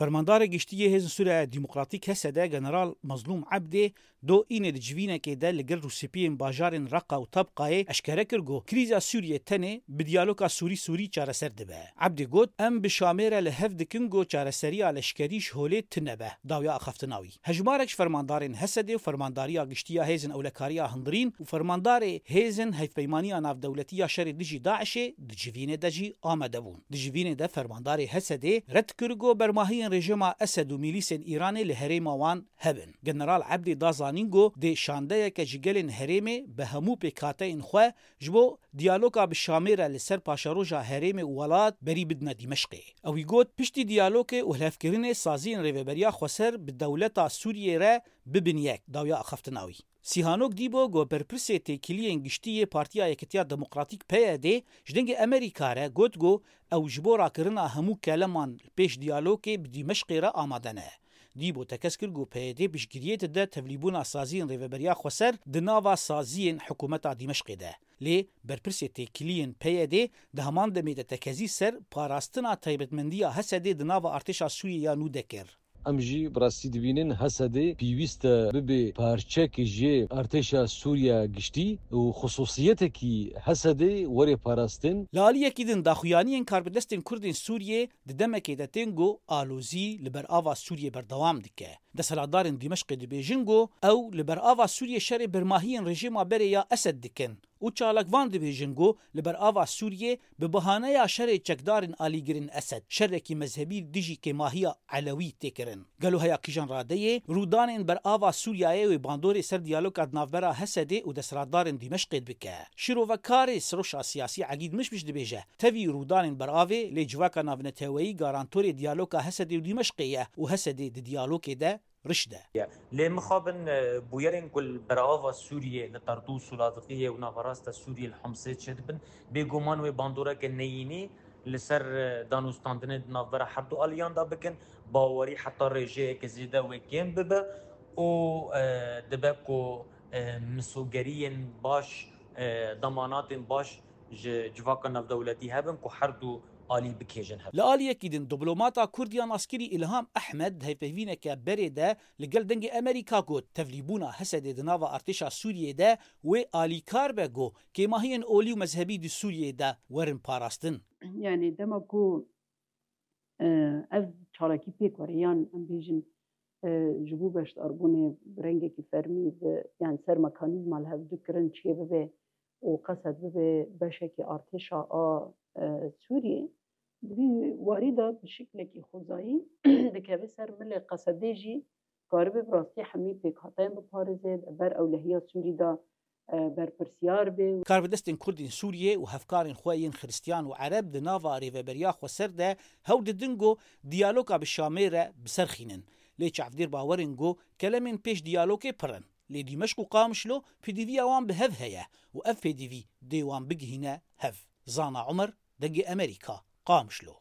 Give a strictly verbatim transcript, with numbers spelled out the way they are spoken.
Fermandarê Giştî yê Hêzên Sûriya Demokratîk, H S D, General Mazlûm Ebdê, do înê di civînekê de li gel rûspiyên bajarên Reqa û Tabqayê eşkere kir ku krîza Sûriyê tenê bi diyaloga Sûrî-Sûrî çareser dibe. Ebdê got, Em bi Şamê re li hev dikin ku çareseriya leşkerî ji holê tune be, dawiya axaftina wî. Hejmarek ji fermandarên H S D û Fermandariya Giştî ya Hêzên Ewlekariya Hundirîn û fermandarê Hêzên Hevpeymaniya Navdewletî ya Şerê Dijî DAIŞ'ê di civînê de jî amade bûn. Di civînê de fermandarê H S D'ê red kir ku bermahiyên rejîma Esed û mîlîsên Îranê li herêma wan hebin. General Ebdê da zanîn ku dê şandeyeke ji gelên herêmê bi hemû pêkhateyên xwe ji bo diyaloga bi Şamê re li ser paşeroja herêmê û welat berî bidine Dîmeşqê. Ew ê got, piştî diyalogê û hilhevkirinê saziyên Rêveberiya Xweser bi dewleta Sûriyê re bibin yek, dawiya axaftina wî. Sîhanok Dîbo ku berpirsê têkiliyên giştî yê Partiya Yekitiya Demokratîk, P Y D, ji dengê Amerîka re got ku ew ji bo rakirina hemû keleman li pêş diyalogê bi Dîmeşqê re amade ne. Dîbo tekez kir ku P Y D piştgiriyê dide tevlîbûna saziyên Rêveberiya Xweser di nava saziyên hikûmeta Dîmeşqê de. Lê berpirsê têkiliyên P Y D di heman demê de tekezî ser parastina taybetmendiya H S D'ê di nava artêşa Sûriyê ya nû de kir. Em jî bi rastî dibînin H S D pêwîst e bibe parçekî ji artêşa Sûriya giştî û xisûsiyetekî H S D were parastin. Li aliyekî din, daxuyaniyên karbidestên Kurdên Sûriyê di demekê de tên ku alozî li ber ava Sûriyê berdewam dike. Desthilatdarên Dîmeşqê dibêjin ku ew li ber ava Sûriyê şerê bermahiyên rejîma berê ya Esed dikin û çalakvan dibêjin ku li ber ava Sûriyê bi bahaneya şerê çekdarên alîgirên Esed, şerekî mezhebî dijî kêmahiya Elewî tê kirin. Gelo heya kîjan radeyê rûdanên ber ava Sûriyeyê wê bandorê ser diyaloga di navbera H S D'ê û desthilatdarên Dîmeşqê bike? Şîrovekarê Siroşa Siyasî Egîd Mişmiş dibêje, tevî rûdanên beravê, lê civaka navneteweyî garantorê diyaloga H S D'ê û Dîmeşqê ye û H S D di diyalogê de riş de. Lê mixabin, e, bûyerên ku li berava Sûriyê, li Tertûs û Ladiqiyê û naverasta Sûriyê li Homsê çêdibin, bêguman wê bandoreke neyînî li ser, e, danûstandinê di navbera her du aliyan de bikin, bawerî heta rêjeyeke zêde wê kêm bibe û, e, dibe ku, e, misogeriyên baş, e, demanatên baş ji civaka navdewletî hebin ku her du alî bikêjin hev. Li aliyekî din, diplomata Kurd ya naskirî Îlham Ehmed di hevpeyvîneke berê de li gel Dengê Amerîka got, tevlîbûna H S D'ê di nava artêşa Sûriyê de wê alîkar be ku kêmahiyên olî û mezhebî di Sûriyê de werin parastin. Yani dema ku, e, ev çalakî pêk were, yan em bêjin, e, ji bo beşdarbûnê bi rengekî fermî bi, yani ser mekanîzma li hev du kirin çêbibe û qesed bibe beşekî artêşa a, e, Sûriyê, di vî warî de bi şiklekî xwezayî dikeve ser milê qesedê jî karibe bi rastî hemî pêkhateyên biparêze, li ber ewlehiya Sûrî de, e, berpirsiyar be. Karbidestên Kurdên Sûriyê û hevkarên xwe yên Xiristiyan û Ereb di nava Rêveberiya Xweser de hewl didin ku diyaloga bi Şamê re bi ser xînin. Lê çavdêr bawer in ku kelemên pêş diyalogê pir in. Lê Dîmeşq û Qamişlo pêdiviya wan bi hev heye û ev pêdivî dê wan bigihîne hev. Zana Umer, Dengê Amerîka, Qamişlo.